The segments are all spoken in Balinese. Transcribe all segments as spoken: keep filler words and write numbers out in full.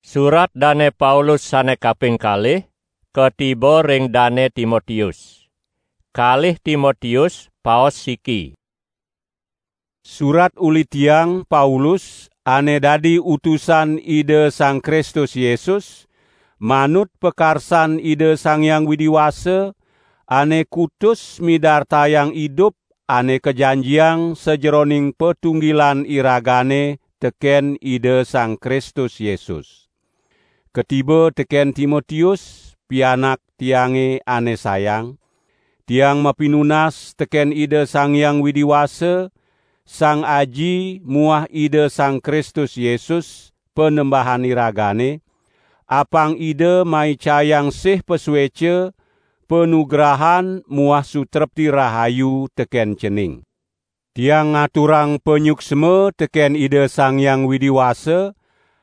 Surat Dane Paulus sane kaping kalih katiba ring Dane Timotius. Kalih Timotius, paos siki. Surat uli tiang, Paulus, ane dadi utusan Ida Sang Kristus Yesus, manut pakarsan Ida Sang Hyang Widi Wasa, ane kutus midartayang idup ane kajanjiang sajeroning patunggilan iragane teken Ida Sang Kristus Yesus. Katiba teken Timotius, pianak tiange ane sayang. Tiang mapinunas teken Ida Sang Hyang Widi Wasa, Sang Aji muah Ida Sang Kristus Yesus, Panembahan iragane, apang Ida maicayang sih pasueca, panugrahan muah sutrepti rahayu teken cening. Tiang ngaturang panyuksma teken Ida Sang Hyang Widi Wasa,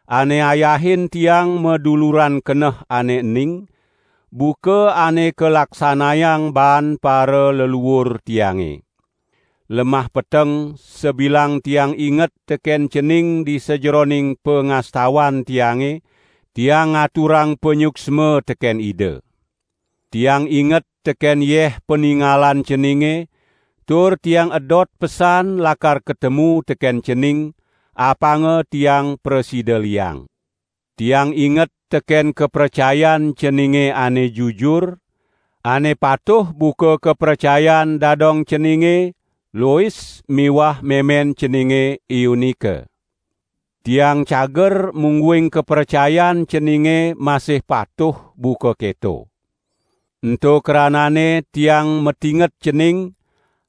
ane ayahin tiang maduluran keneh ane ening, buka ane kalaksanayang baan para leluur tiange. Lemah peteng, sabilang tiang inget teken cening di sajeroning pangastawan tiange, tiang ngaturang panyuksma teken Ida. Tiang inget teken yeh paningalan ceninge, tur tiang edot pesan lakar katemu teken cening, apanga tiang prasida liang. Tiang inget teken kapracayan ceninge ane jujur, ane patuh buka kapracayan dadong ceninge, Lois miwah memen ceninge Eunike. Tiang cager mungguing kapracayan ceninge masih patuh buka keto. Ento kranane tiang matinget cening,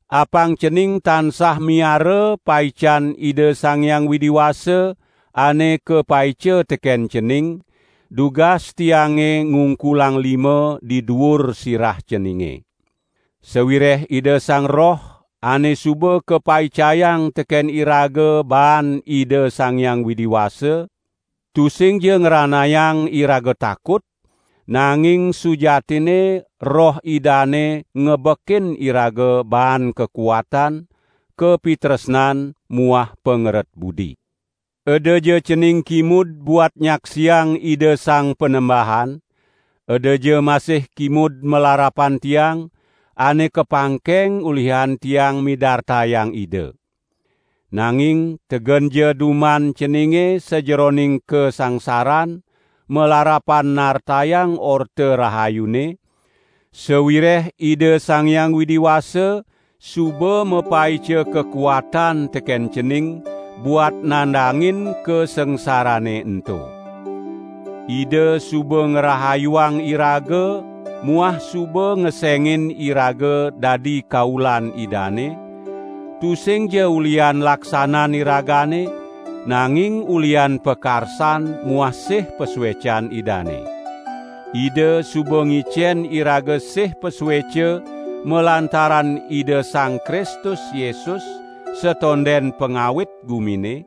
apang cening tansah miara paican Ida Sang Hyang Widi Wasa ane kapaica teken cening, dugas tiange ngungkulang lima di duur sirah ceninge. Sawireh Ida Sang Roh ane suba kapaicayang teken iraga baan Ida Sang Hyang Widi Wasa, tusingja ngranayang iraga takut, nanging sujatinne Roh Idane ngebekin iraga baan kakuatan, kapitresnan muah pangeret budi. Edaja cening kimud buat nyaksiang Ida Sang Panembahan, edaja masih kimud malarapan tiang, ane kapangkeng ulihan tiang midartayang Ida. Nanging tegenja duman ceninge sajeroning kasangsaran, malarapan nartayang Orta Rahayune, sawireh Ida Sang Hyang Widi Wasa suba mapaica kakuatan teken cening buat nandangin kasangsarane ento. Ida suba ngrahayuang iraga muah suba ngesengin iraga dadi kaulan Idane, tusingja ulian laksanan iragane, nanging ulian pakarsan muah sih pasuecan Idane. Ida suba ngicen iraga sih pasueca malantaran Ida Sang Kristus Yesus, satonden pangawit gumine,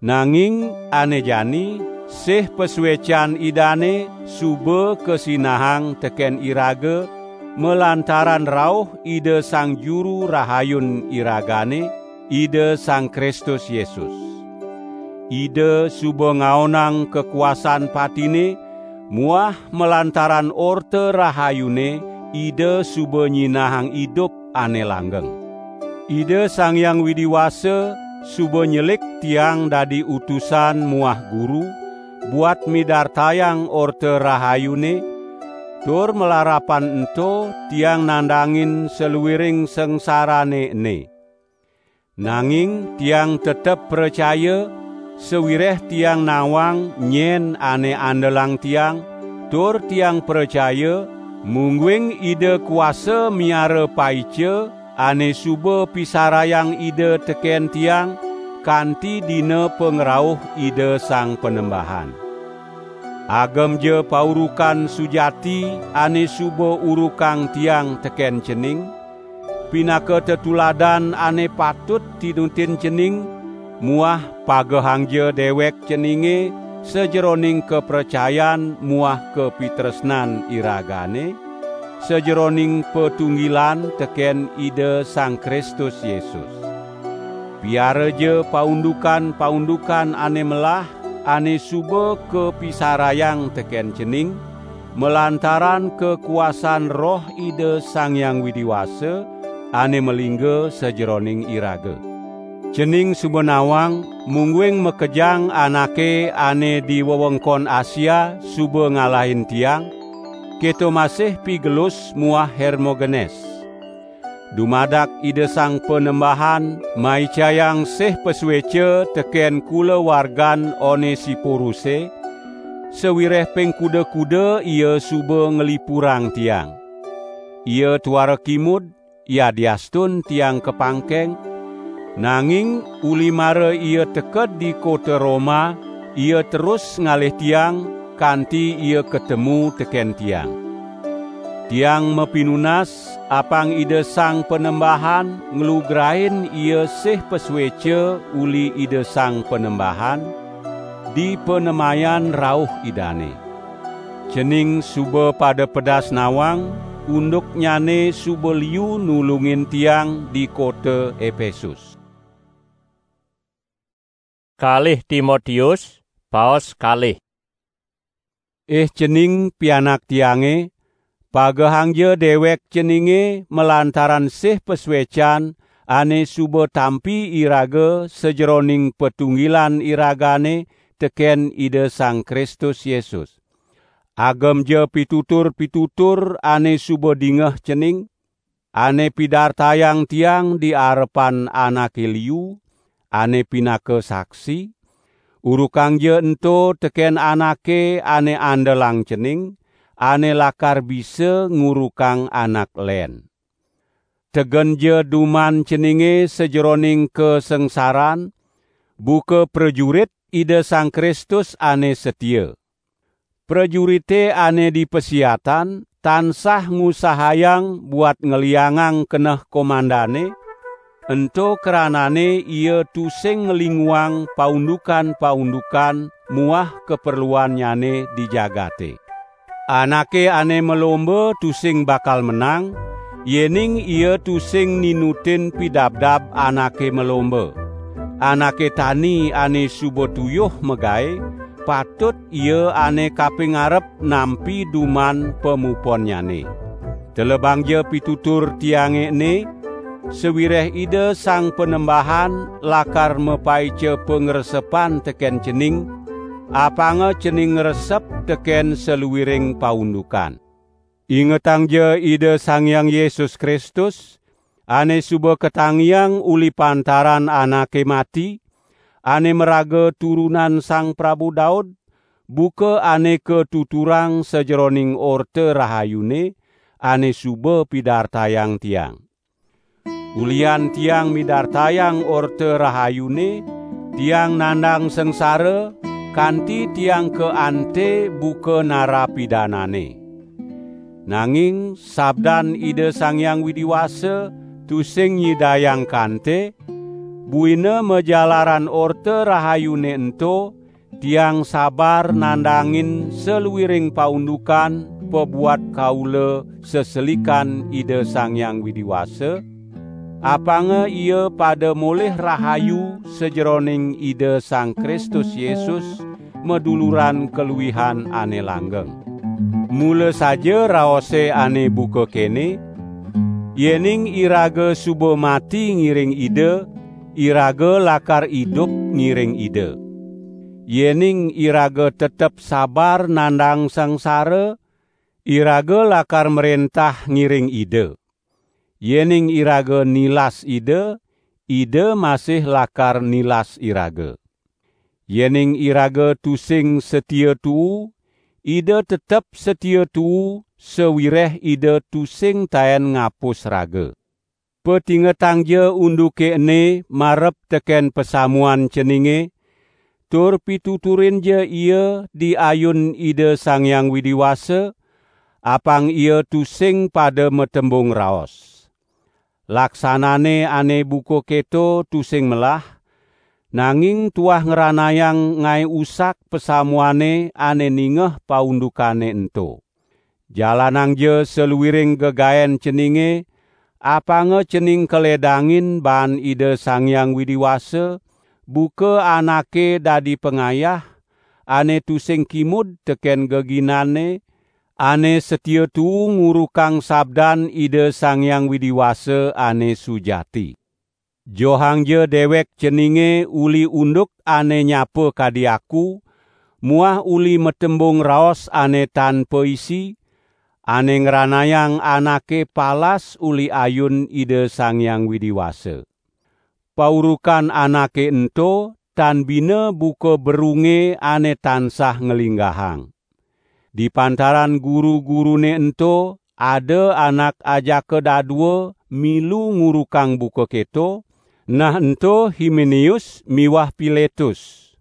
nanging ane jani sih pasuecan Idane suba kasinahang teken iraga malantaran rauh Ida Sang Juru Rahayun iragane, Ida Sang Kristus Yesus. Ida suba ngaonang kakuasan patine, muah malantaran Orta Rahayune Ida suba nyinahang idup ane langgeng. Ida Sang Hyang Widi Wasa suba nyelik tiang dadi utusan muah guru, buat midartayang Orta Rahayune, tur malarapan ento tiang nandangin saluiring sangsarane ene. Nanging tiang tetep pracaya, sawireh tiang nawang nyen ane andelang tiang, tur tiang pracaya, mungguing Ida kuasa miara paica ane suba pisarayang Ida teken tiang, kanti dina pangrauh Ida Sang Panembahan. Agemja paurukan sujati ane suba urukang tiang teken cening, pinaka tetuladan ane patut tinutin cening, muah pagehangja dewek ceninge sajeroning kapracayan muah kapitresnan iragane, sajeroning patunggilan teken Ida Sang Kristus Yesus. Piaraja paundukan-paundukan ane melah, ane suba kapisarayang teken cening, malantaran kakuasan Roh Ida Sang Hyang Widi Wasa ane malingga sajeroning iraga. Cening suba nawang, mungguing makejang anake ane di wewengkon Asia suba ngalahin tiang, keto masih Pigelus muah Hermogenes. Dumadak Ida Sang Panembahan maicayang sih pasueca teken kulawargan Onesipuruse, sawireh ping kuda-kuda ia suba nglipurang tiang. Ia tuara kimud, yadiastun tiang kapangkeng, nanging uli mara ia teked di kota Roma, ia terus ngalih tiang, kanti ia katemu teken tiang. Tiang mapinunas, apang Ida Sang Panembahan nglugrain ia sih pasueca uli Ida Sang Panembahan, di panemayan rauh Idane. Cening suba pada pedas nawang, unduknyane suba liu nulungin tiang di kota Epesus. Kalih Timotius, paos kalih. Ih cening pianak tiange, pagehangja dewek ceninge malantaran sih pasuecan ane suba tampi iraga sajeroning patunggilan iragane teken Ida Sang Kristus Yesus. Agemja pitutur-pitutur ane suba dingeh cening, ane pidartayang tiang di arepan anake liu, ane pinaka saksi, urukangja ento teken anake ane andelang cening, ane lakar bisa ngurukang anak len. Tegenja duman ceninge sajeroning kasangsaran, buka prajurit Ida Sang Kristus ane satia. Prajurite ane di pasiatan tansah ngusahayang buat ngliangang keneh komandane, ento kranane ia tusing nglinguang paundukan-paundukan muah kaperluannyane di jagate. Anake ane malomba tusing bakal menang, yening ia tusing ninutin pidabdab anake malomba. Anake tani ane suba tuyuh magae, patut ia ane kaping arep nampi duman pamuponnyane. Telebangja pitutur tiange ene, sawireh Ida Sang Panembahan lakar mapaica pangresepan teken cening, apanga cening ngresep teken saluiring paundukan. Ingetangja Ida Sang Hyang Yesus Kristus, ane suba katangiang uli pantaran anake mati, ane maraga turunan Sang Prabu Daud, buka ane katuturang sajeroning Orta Rahayune, ane suba pidartayang tiang. Ulian tiang midartayang Orta Rahayune, tiang nandang sangsara, kanti tiang kaante buka narapidanane. Nanging sabdan Ida Sang Hyang Widi Wasa tusing nyidayang kante, buina majalaran Orta Rahayune ento, tiang sabar nandangin saluiring paundukan pabuat kaula seselikan Ida Sang Hyang Widi Wasa, apanga ia pada molih rahayu sajeroning Ida Sang Kristus Yesus, maduluran kaluihan ane langgeng. Mula saja raose ane buka kene, "Yening iraga suba mati ngiring Ida, iraga lakar idup ngiring Ida. Yening iraga tetep sabar nandang sangsara, iraga lakar mrentah ngiring Ida. Yening iraga nilas Ida, Ida masih lakar nilas iraga. Yening iraga tusing satia tuu, Ida tetep satia tuu, sawireh Ida tusing taen ngapus raga." Patingetangja unduke ene marep teken pasamuan ceninge, tur pituturinja ia di ayun Ida Sang Hyang Widi Wasa, apang ia tusing pada matembung raos. Laksanane ane buka keto tusing melah, nanging tuah ngranayang ngae usak pasamuane ane ningeh paundukane ento. Jalanangja saluiring gegaen ceninge, apanga cening kaledangin baan Ida Sang Hyang Widi Wasa, buka anake dadi pangayah, ane tusing kimud teken geginanne, ane setia tuu ngurukang sabdan Ida Sang Hyang Widi Wasa ane sujati. Johangja dewek ceninge uli unduk ane nyapa kadi aku, muah uli matembung raos ane tan paisi, ane ngranayang anake palas uli ayun Ida Sang Hyang Widi Wasa. Paurukan anake ento tan bina buka berunge ane tansah nglinggahang. Di pantaran guru-gurune ento ada anak ajaka dadua milu ngurukang buka keto, nah ento Himeneus miwah Piletus.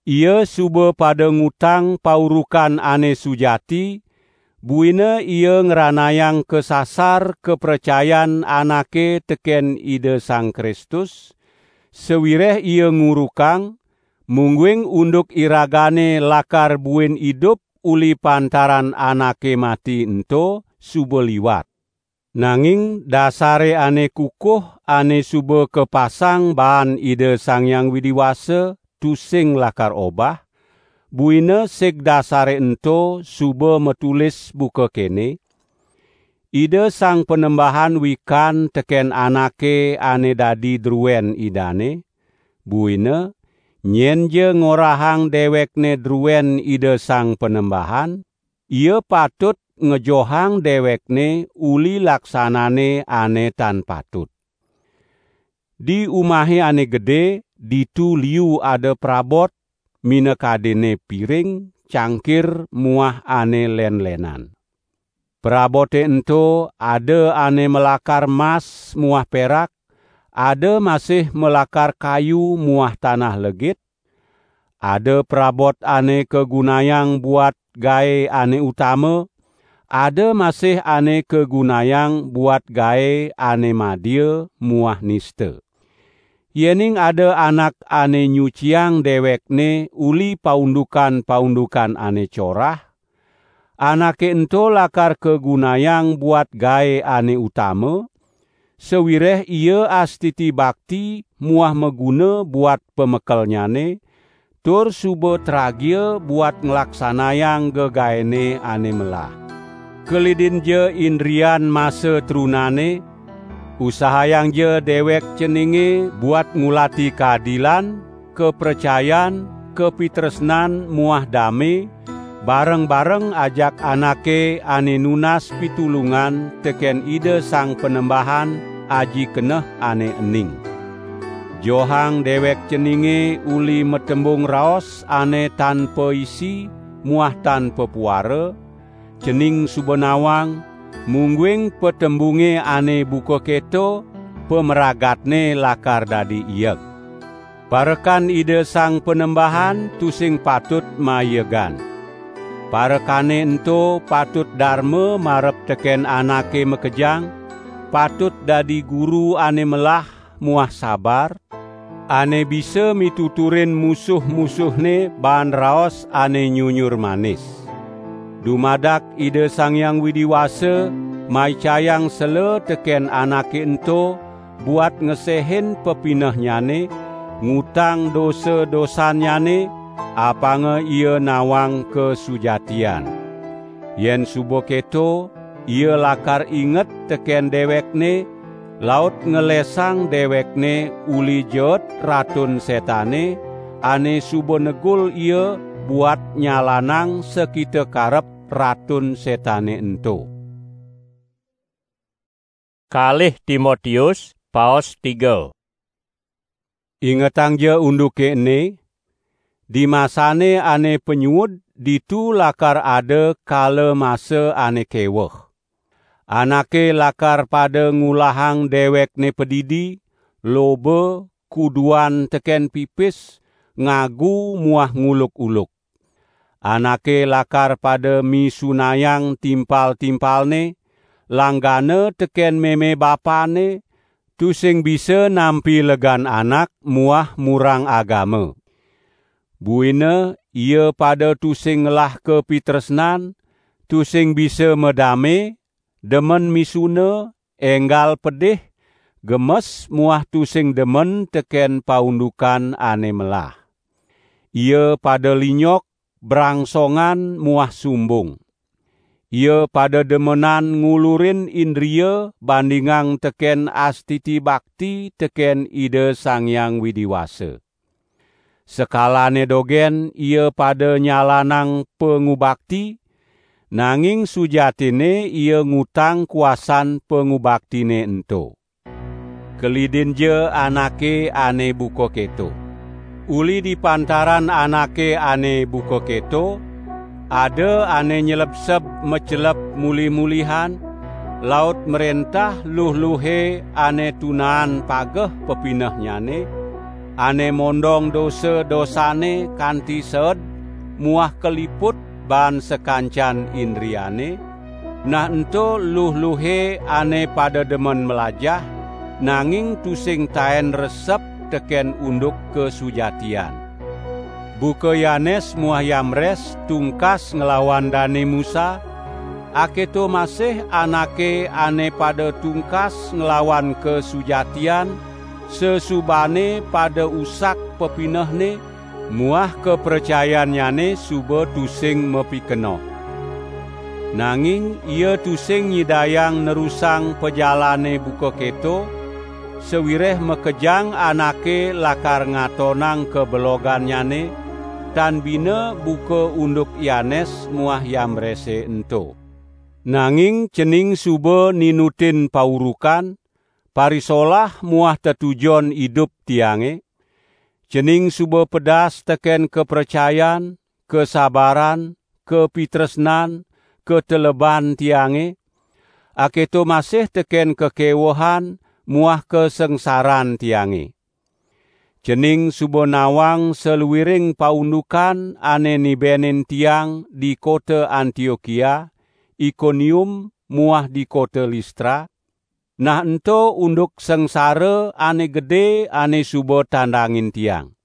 Ia suba pada ngutang paurukan ane sujati, buina ia ngranayang kasasar kapracayan anake teken Ida Sang Kristus, sawireh ia ngurukang, mungguing unduk iragane lakar buin idup uli pantaran anake mati ento suba liwat. Nanging dasare ane kukuh ane suba kapasang baan Ida Sang Hyang Widi Wasa tusing lakar obah, buina sig dasare ento suba matulis buka kene, Ida Sang Panembahan wikan teken anake ane dadi druen Idane, buina nyenja ngorahang dewekne druen Ida Sang Panembahan, ia patut ngejohang dewekne uli laksanane ane tan patut. Di umahe ane gede, ditu liu ada prabot, minakadene piring, cangkir, muah ane len-lenan. Prabote ento ada ane malakar mas muah perak, ada masih malakar kayu muah tanah legit, ada prabot ane kagunayang buat gae ane utama, ada masih ane kagunayang buat gae ane madia muah nista. Yening ada anak ane nyuciang dewekne uli paundukan-paundukan ane corah, anake ento lakar kagunayang buat gae ane utama, sawireh ia astiti bakti muah maguna buat pamekelnyane, tur suba tragia buat nglaksanayang gegaene ane melah. Kelidinja indrian masa trunane, usahayangja dewek ceninge buat ngulati kaadilan, kapracayan, kapitresnan muah dame, bareng-bareng ajak anake ane nunas pitulungan teken Ida Sang Panembahan aji keneh ane ening. Johang dewek ceninge uli matembung raos ane tan paisi muah tan papuara, cening suba nawang, mungguing patembunge ane buka keto, pamragatne lakar dadi ieg. Parekan Ida Sang Panembahan tusing patut maiegan. Parekane ento patut darma marep teken anake makejang, patut dadi guru ane melah muah sabar, ane bisa mituturin musuh-musuhne baan raos ane nyunyur manis. Dumadak Ida Sang Hyang Widi Wasa maicayang sela teken anake ento buat ngesehin pepinehnyane, ngutang dosa-dosannyane, apanga ia nawang kasujatian. Yen suba keto, ia lakar inget teken dewekne, laut ngelesang dewekne uli jeet Ratun Setane, ane suba negul ia buat nyalanang sakita karep Ratun Setane ento. Kalih Timotius, paos tiga. Ingetangja unduke ene, di masane ane panyuud ditu lakar ada kala masa ane keweh. Anake lakar pada ngulahang dewekne padidi, loba, kuduan teken pipis, ngagu muah nguluk-uluk. Anake lakar pada misunayang timpal-timpalne, langgana teken meme bapane, tusing bisa nampi legan anak muah murang agama. Buina ia pada tusing ngelah kapitresnan, tusing bisa madame, demen misuna, enggal pedih, gemes muah tusing demen teken paundukan ane melah. Ia pada linyok, brangsongan muah sumbung. Ia pada demenan ngulurin indria bandingang teken astiti bakti teken Ida Sang Hyang Widi Wasa. Sekalane dogen ia pada nyalanang pangubakti, nanging sujatine ia ngutang kuasan pangubaktine ento. Kelidinja anake ane buka keto. Uli di pantaran anake ane buka keto, ada ane nyelebseb macelep mulih-mulihan, laut mrentah luh-luhe ane tunaan pageh pepinehnyane, ane mondong dosa-dosane kanti seed muah kaliput baan sakancan indriane, nah ento luh-luhe ane pada demen melajah, nanging tusing taen resep teken unduk kasujatian. Buka Yanes muah Yamres tungkas nglawan Dane Musa, aketo masih anake ane pada tungkas nglawan kasujatian, sesubane pada usak pepinehne, muah kapracayannyane suba tusing mapikenoh. Nanging ia tusing nyidayang nerusang pajalane buka keto, sawireh makejang anake lakar ngatonang kabelogannyane, tan bina buka unduk Yanes muah Yambrese ento. Nanging cening suba ninutin paurukan, parisolah muah tetujon idup tiange, cening suba pedas teken kapracayan, kasabaran, kapitresnan, kateleban tiange, aketo masih teken kakewehan muah kasangsaran tiange. Cening suba nawang saluiring paundukan ane nibenin tiang di kota Antiokia, Ikonium, muah di kota Listra, nah ento unduk sangsara ane gede ane suba tandangin tiang.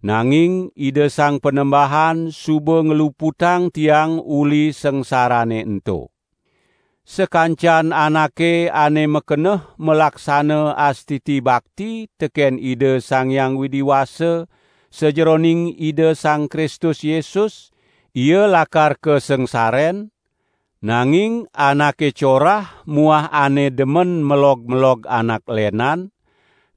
Nanging Ida Sang Panembahan suba ngluputang tiang uli sangsarane ento. Sakancan anake ane makeneh malaksana astiti bakti teken Ida Sang Hyang Widi Wasa sajeroning Ida Sang Kristus Yesus, ia lakar kasangsaren, nanging anake corah muah ane demen melog-melog anak lenan,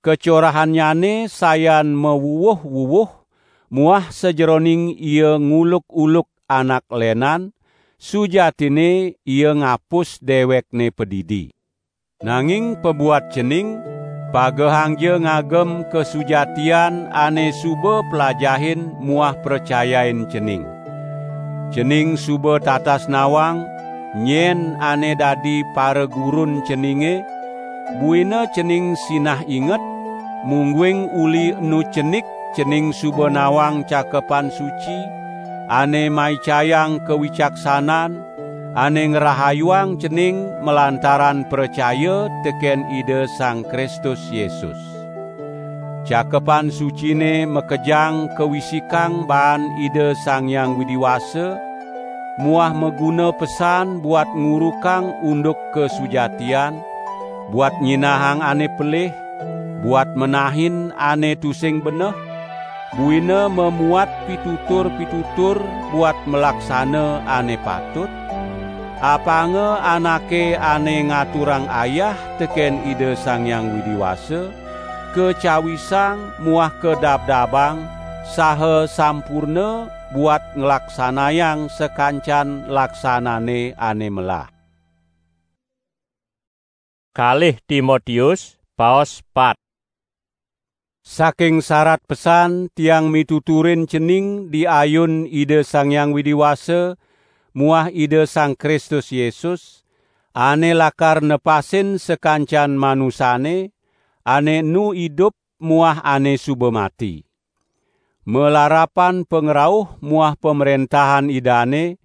kacorahannyane sayan mawuwuh-wuwuh, muah sajeroning ia nguluk-uluk anak lenan, sujatine ia ngapus dewekne padidi. Nanging pabuat cening, pagehangja ngagem kasujatian ane suba plajahin muah pracayain cening. Cening suba tatas nawang, nyen ane dadi paragurun ceninge, buina cening sinah inget, mungguing uli enu cenik cening suba nawang Cakepan Suci, ane maicayang kawicaksanan, ane ngrahayuang cening malantaran pracaya teken Ida Sang Kristus Yesus. Cakepan Sucine makejang kawisikang baan Ida Sang Hyang Widi Wasa, muah maguna pesan buat ngurukang unduk kasujatian, buat nyinahang ane pelih, buat menahin ane tusing beneh, buina mamuat pitutur-pitutur buat malaksana ane patut. Apanga anake ane ngaturang ayah teken Ida Sang Hyang Widi Wasa, kacawisang muah kadabdabang, saha sampurna buat nglaksanayang sakancan laksanane ane melah. Kalih Timotius, paos pat. Saking sarat pesan tiang mituturin cening di ayun Ida Sang Hyang Widi Wasa muah Ida Sang Kristus Yesus, ane lakar nepasin sakancan manusane, ane enu idup muah ane suba mati. Malarapan pangrauh muah pamrentahan Idane,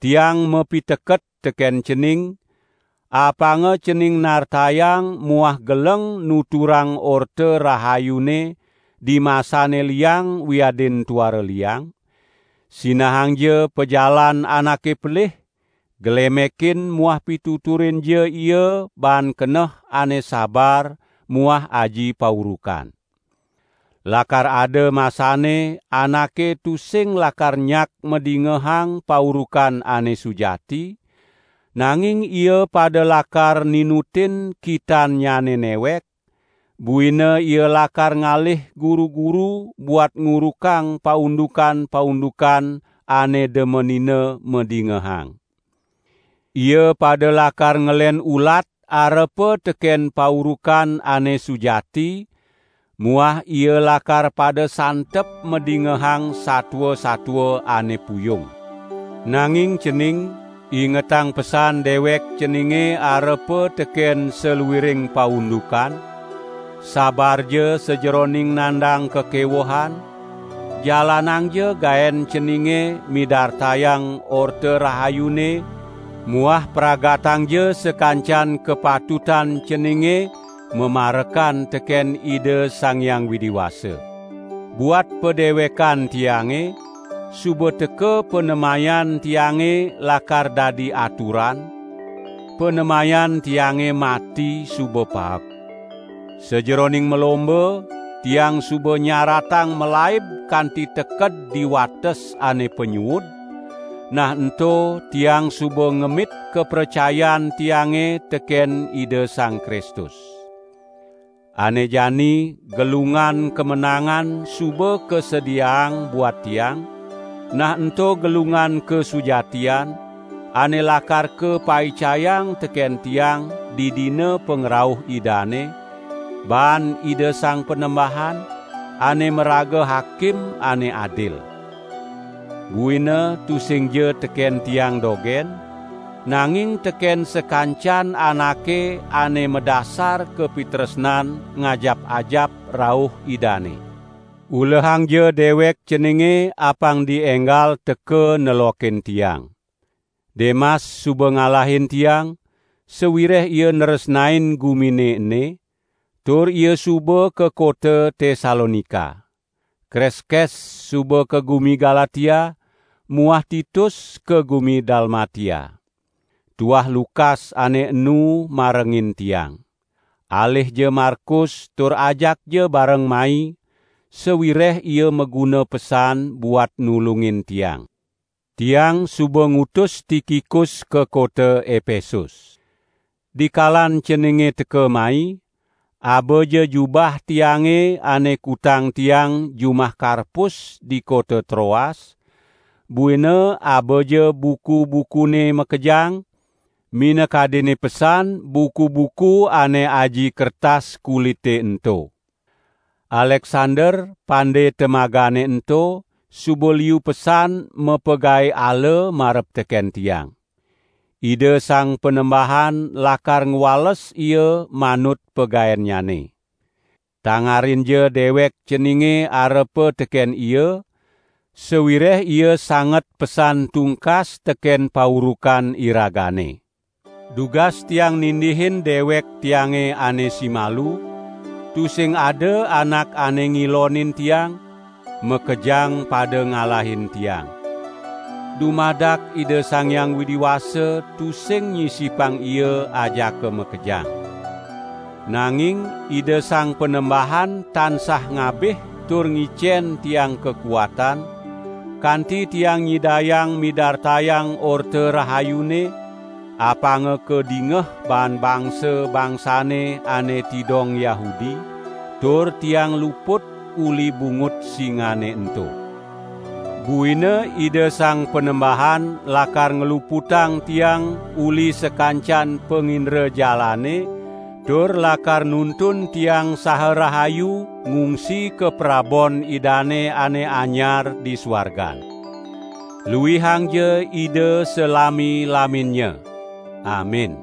tiang mapiteket teken cening, apanga cening nartayang muah geleng nuturang Orta Rahayune di masane liang wiadin tuara liang. Sinahangja pajalan anake pelih, glemekin muah pituturinja ia baan keneh ane sabar muah aji paurukan. Lakar ada masane anake tusing lakar nyak madingehang paurukan ane sujati, nanging ia pada lakar ninutin kitannyane newek, buina ia lakar ngalih guru-guru buat ngurukang paundukan-paundukan ane demenina madingehang. Ia pada lakar ngelen ulat arepa teken paurukan ane sujati, muah ia lakar pada santep madingehang satua-satua ane puyung. Nanging cening, ingetang pesan dewek ceninge arepa teken saluiring paundukan, sabarja sajeroning nandang kekewehan, jalanangja gaen ceninge midartayang Orta Rahayune, muah pragatangja sakancan kapatutan ceninge mamarekan teken Ida Sang Hyang Widi Wasa. Buat padewekan tiange, suba teka panemayan tiange lakar dadi aturan, panemayan tiange mati suba paek. Sajeroning malomba, tiang suba nyaratang malaib kanti teked di wates ane panyuud, nah ento tiang suba ngemit kapracayan tiange teken Ida Sang Kristus. Ane jani gelungan kamenangan suba kasediaang buat tiang, nah ento gelungan kasujatian, ane lakar kapaicayang teken tiang di dina pangrauh Idane, baan Ida Sang Panembahan, ane maraga Hakim ane adil. Buina tusingja teken tiang dogen, nanging teken sakancan anake ane madasar kapitresnan ngajap-ajap rauh Idane. Ulehangja dewek ceninge apang dienggal teka nelokin tiang. Demas suba ngalahin tiang, sawireh ia nresnain gumine ene, tur ia suba ka kota Tesalonika. Kreskes suba ka gumi Galatia, muah Titus ka gumi Dalmatia. Tuah Lukas ane enu marengin tiang. Alihja Markus tur ajakja bareng mai, sawireh ia maguna pesan buat nulungin tiang. Tiang suba ngutus Tikikus ka kota Epesus. Dikalan ceninge teka mai, abaja jubah tiange ane kutang tiang jumah Karpus di kota Troas, buina abaja buku-bukune makejang, minakadine pesan buku-buku ane aji kertas kulite ento. Aleksander, pande temagane ento, suba liu pesan mapagae ala marep teken tiang. Ida Sang Panembahan lakar ngwales ia manut pagaennyane. Tangarinja dewek ceninge arepa teken ia, sawireh ia sanget pesan tungkas teken paurukan iragane. Dugas tiang nindihin dewek tiange ane simalu, tusing ada anak ane ngilonin tiang, makejang pada ngalahin tiang. Dumadak Ida Sang Hyang Widi Wasa tusing nyisipang ia ajaka makejang. Nanging Ida Sang Panembahan tansah ngabih tur ngicen tiang kakuatan, kanti tiang nyidayang midartayang Orta Rahayune, apanga kadingeh baan bangsa-bangsane ane tidong Yahudi, tur tiang luput uli bungut singane ento. Buina Ida Sang Panembahan lakar ngluputang tiang uli sakancan pangindrajalane, tur lakar nuntun tiang saha rahayu ngungsi ka prabon Idane ane anyar di suargan. Luihangja Ida salami-laminnya. Amin.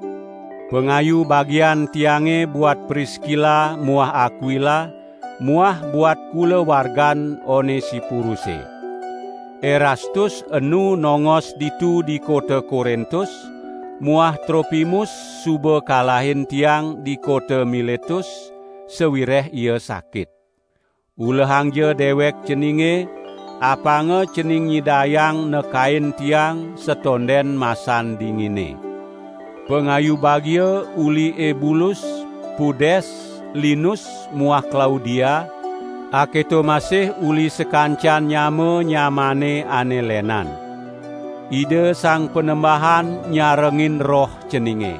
Pangayu bagian tiange buat Priskila muah Akwila, muah buat kulawargan Onesipuruse. Erastus enu nongos ditu di kota Korintus, muah Tropimus suba kalahin tiang di kota Miletus, sawireh ia sakit. Ulehangja dewek ceninge, apanga cening nyidayang nekain tiang satonden masan dingine. Pangayu bagia uli Ebulus, Pudes, Linus muah Klaudia, Aketo masih uli sakancan nyama-nyamane ane lenan. Ida Sang Panembahan nyarengin roh ceninge.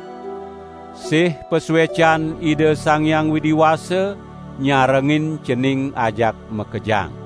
Sih pasuecan Ida Sang Hyang Widi Wasa nyarengin cening ajak makejang.